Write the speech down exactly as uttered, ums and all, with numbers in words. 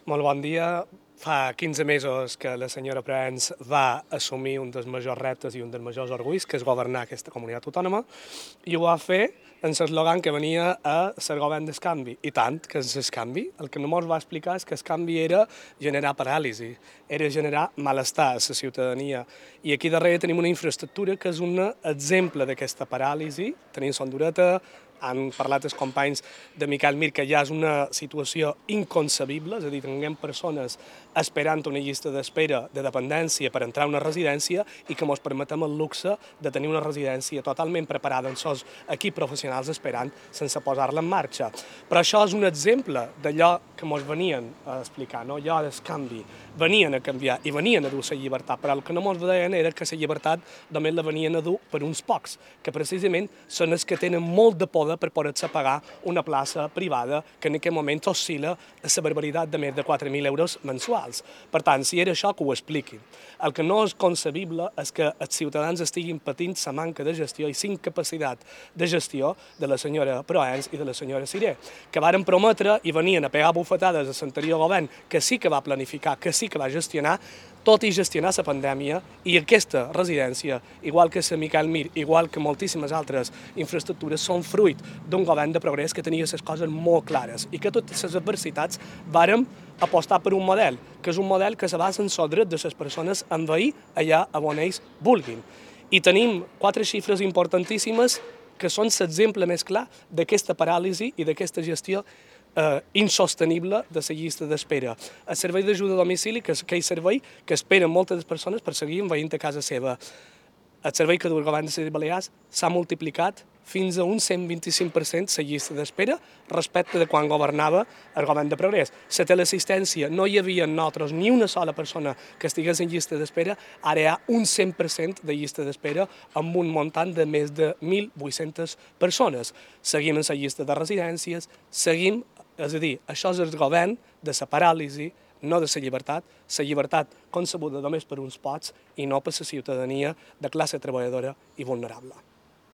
Molt bon dia. Fa quinze mesos que la senyora Proens va assumir un dels majors reptes i un dels majors orgulls, que és governar aquesta comunitat autònoma, i ho va fer en l'eslògan que venia a ser govern del canvi. I tant que és el canvi. El que no ens va explicar és que el canvi era generar paràlisi, era generar malestar a la ciutadania. I aquí darrere tenim una infraestructura que és un exemple d'aquesta paràlisi. Tenim Sondureta, han parlat els companys de Miquel Mir, que ja és una situació inconcebible, és a dir, tinguem persones esperant una llista d'espera de dependència per entrar a una residència i que ens permetem el luxe de tenir una residència totalment preparada amb els equips professionals esperant sense posar-la en marxa. Però això és un exemple d'allò que ens venien a explicar, no? Allò del canvi. Venien a canviar i venien a dur la llibertat, però el que no ens deien era que la llibertat només la venien a dur per uns pocs, que precisament són els que tenen molt de poder per poder-se pagar una plaça privada que en aquest moment oscil·la a la barbaritat de més de quatre mil euros mensuals. Per tant, si era això, que ho expliquin. El que no és concebible és que els ciutadans estiguin patint la manca de gestió i la incapacitat de gestió de la senyora Proens i de la senyora Siré, que varen prometre i venien a pegar bufetades a l'anterior govern, que sí que va planificar, que sí que va gestionar, tot i gestionar la pandèmia, i aquesta residència, igual que la Miquel Mir, igual que moltíssimes altres infraestructures, són fruit d'un govern de progrés que tenia les coses molt clares i que totes les adversitats vàrem apostar per un model, que és un model que se basa en el dret de les persones a envair allà on ells vulguin. I tenim quatre xifres importantíssimes que són l'exemple més clar d'aquesta paràlisi i d'aquesta gestió Eh, insostenible de la llista d'espera. El servei d'ajuda a domicili, que és aquell servei que esperen moltes persones per seguir envaint a casa seva. El servei que du el govern de les Balears s'ha multiplicat fins a un cent vint-i-cinc per cent la llista d'espera respecte de quan governava el govern de progrés. La teleassistència, no hi havia nosaltres ni una sola persona que estigués en llista d'espera, ara hi ha un cent per cent de llista d'espera amb un muntant de més de mil vuit-centes persones. Seguim en la llista de residències, seguim, és a dir, això és el govern de la paràlisi, no de la llibertat, la llibertat concebuda només per uns pocs i no per la ciutadania de classe treballadora i vulnerable.